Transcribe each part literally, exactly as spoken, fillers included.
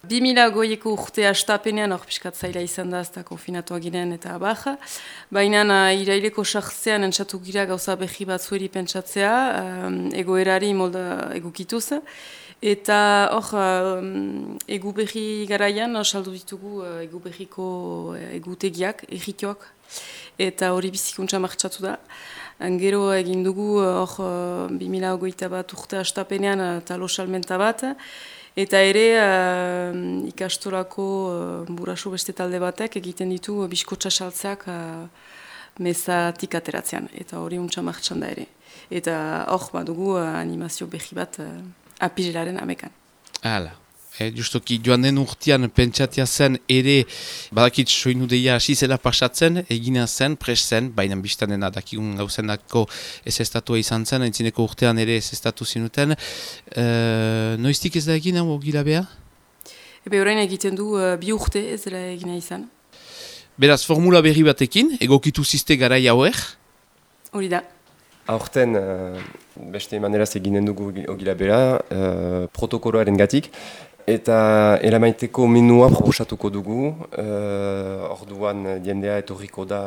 bi mila goieko urte astapenean, hor piskat zaila izan da, ez da konfinatuak ginen eta baja. Baina iraileko sartzean entzatu gira gauza behi batzueri pentsatzea, um, egoerari molda egukituz. Eta hor, um, egu behi garaian, saldu ditugu uh, egu behiko uh, egutegiak, egitioak. Eta hori bizikuntza martxatu da. Gero egin dugu hor uh, bi mila hogeita bat urte astapenean uh, talo salmenta bat. Eta ere uh, ikastolako uh, burasu beste talde batek egiten ditu uh, biskotxa saltzeak uh, mezatik ateratzean. Eta hori untsa martxan da ere. Eta hor badugu uh, animazio behi bat uh, apirilaren amekan. Hala. E, justoki joan den urtean pentsatia zen ere badakit soinu deia hasi zela pasatzen, egina zen, pres zen, baina biztan dena dakigun gauzendako ez estatua izan zen, entzineko urtean ere ez estatu zinuten. E, noiztik ez da egin hau ogilabea? Ebe orain egiten du uh, bi urte ez dela egina izan. Beraz, formula berri batekin, egokitu ziste garai hauek? Hori da. Aurten, uh, beste maneraz eginen dugu ogilabea, uh, protokoloaren gatik. Eta eramaiteko menua proposatuko dugu, uh, orduan jendea etorriko da,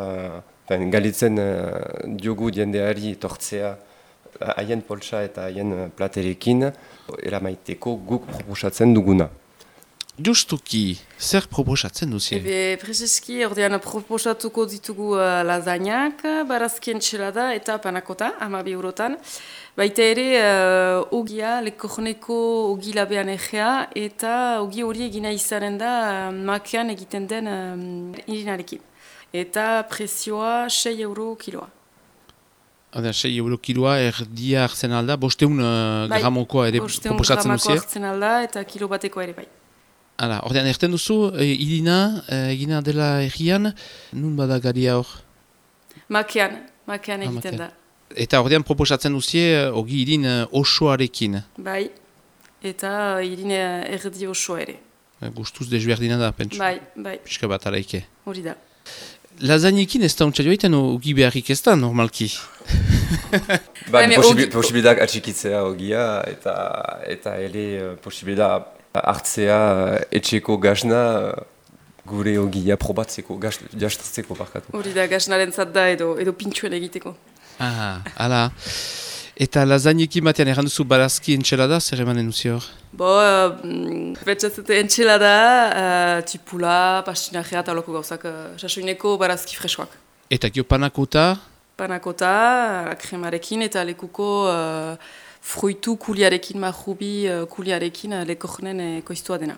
ben, galitzen uh, diogu jendeari etortzea haien poltsa eta haien platerekin, eramaiteko guk proposatzen duguna. Justuki, zer proposatzen duzien? Ebe, prezeski, ordean proposatuko ditugu uh, lasagnak, barazkien txelada eta panakota, hamabi eurotan. Baita ere, uh, ogia, lekorneko ogi labean egea, eta ogi hori egina izanen da uh, makean egiten den um, irinarekin. Eta prezioa sei euro kiloa. Hada, sei euro kiloa erdia hartzen alda, bosteun uh, bai, gramokoa ere proposatzen duzien? Bosteun gramokoa hartzen alda eta kilo bateko ere bai. Hala, ordean erten duzu, e, irina, e, egina dela errian, nun bada garia hor? Makean, makean egiten ah, da. Eta ordean proposatzen duzie, ogi irin osoarekin? Bai, eta irin erdi osoa ere. E, gustuz desberdina da, pentsu? Bai, bai. Piska bat araike. Hori da. Lasagnekin ez da untsa joiten, ogi beharrik ez da, normalki? Ba, posibilidak atxikitzea ogia, eta, eta ere posibilidak hartzea etxeko gazna gure ogia probatzeko, jaztatzeko barkatu. Hori da, gaznaren zat da edo, edo pintxuen egiteko. Ah, hala. Eta lasagnekin batean erranduzu barazki entxelada, zer emanen duzi hor? Bo, uh, betxatzete entxelada, uh, tipula, pastinajea eta holoko gauzak, uh, sasoineko barazki freskoak. Eta gio panakota? Panakota, kremarekin eta lekuko uh, fruitu kuliarekin, marrubi uh, kuliarekin uh, lekornen uh, koiztua dena.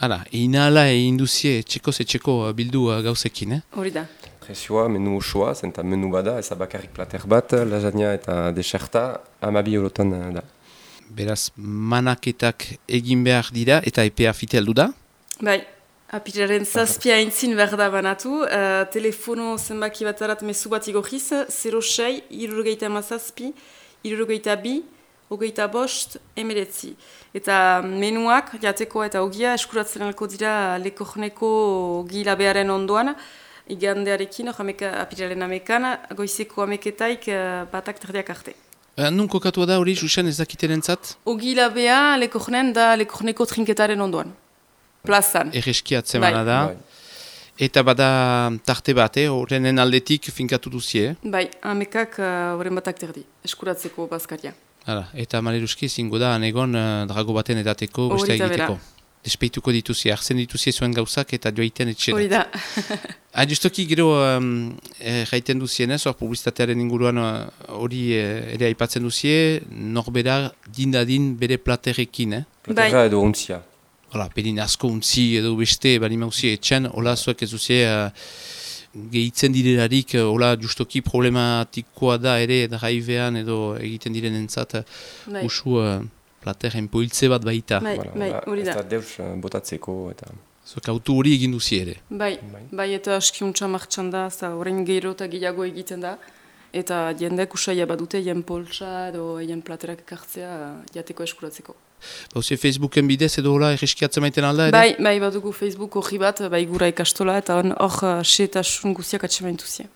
Hala, inala egin duzie txeko ze txeko bildu uh, gauzekin, eh? Hori da. Prezioa, menu osoa, zenta menu bada, ez bakarrik plater bat, lasagna eta deserta, hamabi eurotan da. Beraz, manaketak egin behar dira eta epea fite aldu da? Bai, apiraren zazpia entzin behar da banatu, uh, telefono zenbaki bat arat mesu bat igorriz, zero sei, irurogeita mazazpi, irurogeita bi, hogeita bost, emeretzi. Eta menuak, jateko eta ogia, eskuratzen alko dira lekorneko ogi labearen ondoan, igandearekin, apiraren amekan, goizeko ameketaik uh, batak terdiak arte. Uh, nun kokatu da hori, Jusen, ez dakiten entzat? Ogi labea lekornen da lekorneko trinketaren ondoan. Plazan. Erreskiatzen bana da. Bai. Eta bada tarte bat, horrenen eh? aldetik finkatu duzie? Eh? Bai, amekak horren uh, batak terdi, eskuratzeko bazkaria. Hala, eta maleruski zingo da, anegon uh, drago baten edateko, beste egiteko. Despeituko dituzie, hartzen dituzie zuen gauzak eta joaiten etxera. Hori da. Ah, justoki gero um, eh, jaiten duzien, hor publizitatearen inguruan hori eh, ere aipatzen duzie, norbera dindadin bere platerekin, eh? Platera edo untzia. Hola, pedin asko untzi edo beste, bali mauzie etxan, hola zuek ez duzie uh, gehitzen direlarik, hola justoki problematikoa da ere, draivean edo egiten diren entzat, uh, usu... Uh, plateren poiltze bat baita. Bai, bai, hori da. Ez da deus botatzeko eta... Zuek autu hori egin duzi ere. Bai, bai, bai eta askiuntza martxan da, eta horrein gero eta gehiago egiten da. Eta jendek usaila badute, jen poltsa edo jen platerak ekartzea jateko eskuratzeko. Bauzie Facebooken bidez edo hola erreskiatzen maiten alda ere? Bai, bai, badugu Facebook horri bat, bai gura ikastola eta hor xe eta sun guziak atxemaintuzia.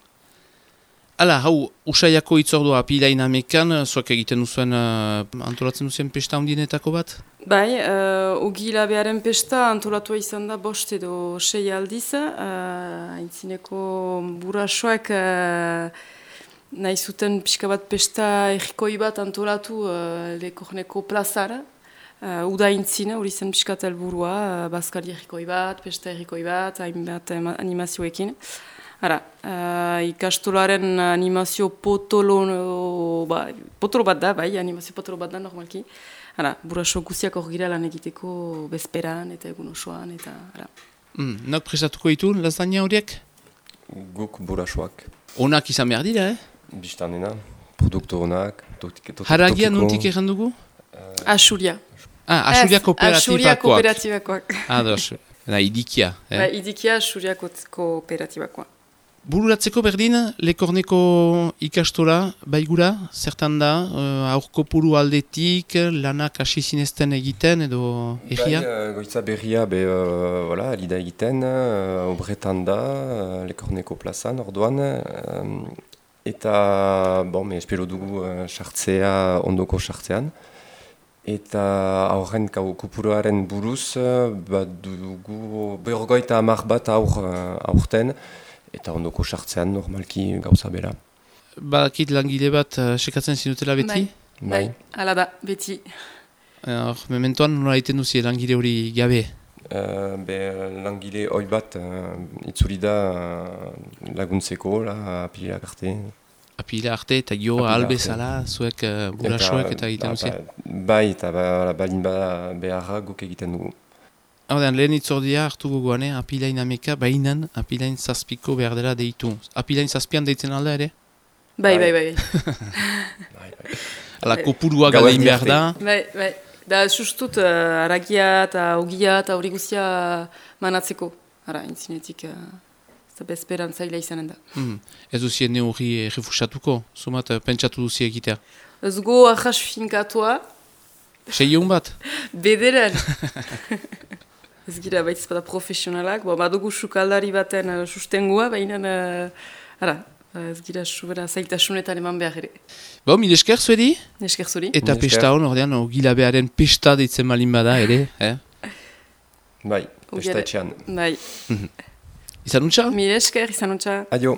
Hala, hau, usaiako itzordua apilain amekan, zuak egiten duzuen uh, antolatzen duzuen pesta hundinetako bat? Bai, uh, ogi labearen pesta antolatua izan da bost edo sei aldiz. Uh, Aintzineko burasoak uh, nahi zuten pixka bat pesta errikoi bat antolatu uh, Lekorneko plazara. Uh, uda intzina, hori zen pixka helburua, uh, bazkari errikoi bat, pesta errikoi bat, hainbat animazioekin. Hara, uh, ikastolaren animazio potolo, ba, potolo bat da, bai, animazio potolo bat da normalki. Hala, buraso guziak hor gira lan egiteko bezperan eta egun osoan eta hala. Mm, Nok prestatuko ditu, lasagna horiek? Guk burasoak. Onak izan behar dira, eh? Biztanena, produktu honak. Haragia nontik egin dugu? Asuria. Ah, Asuria kooperatibakoak. Asuria kooperatibakoak. Ados, da, idikia. Eh? Ba, idikia Asuria kooperatibakoak. Bururatzeko berdin, Lekorneko ikastola baigura, zertan da, uh, aurko puru aldetik, lanak hasi zinezten egiten edo egia? Bai, uh, goitza berria, be, uh, voilà, alida egiten, uh, obretan da, uh, Lekorneko plazan, orduan, uh, eta, bon, me espero dugu uh, sartzea, ondoko sartzean. Eta aurren kopuruaren buruz, uh, bat dugu, berrogoita hamar bat aur, uh, aurten, eta ondoko sartzean normalki gauza bera. Badakit langile bat uh, sekatzen zinutela beti? Bai, bai, hala da, beti. Hor, mementoan nola egiten duzi langile hori gabe? Uh, be, langile hoi bat uh, itzuri da uh, laguntzeko, la, apilak arte. Apila arte eta gio albezala, zuek uh, burasoek eta egiten duzi? Ba, bai, eta ba, balin bada beharra guk egiten dugu. Horten, lehen itzordia hartu gogoan, eh? Apilain ameka, bainan apilain zazpiko behar dela deitu. Apilain zazpian deitzen alda ere? Bai, bai, bai. bai, bai. Ala kopurua galein behar da? Bai, bai. Da, sustut, uh, aragia eta ogia eta hori guztia manatzeko. Ara, intzinetik, ez da bezperan zaila izanen da. Mm. Ez duzien ne hori refusatuko? Zumat, pentsatu duzi egitea? Ez go ahas finkatua. Seion bat? Bederen. Ez gira baitz bada profesionalak, bo, badugu sukaldari baten uh, sustengua, baina uh, ara, ez gira subera zaitasunetan eman behar ere. Bo, mil esker zuedi? Esker zuri. Eta pesta hon, ordean, ogilabearen pesta deitzen malin bada ere, eh? Bai, pesta etxean. Bai. Izan untxa? Mil esker, izan untxa. Adio.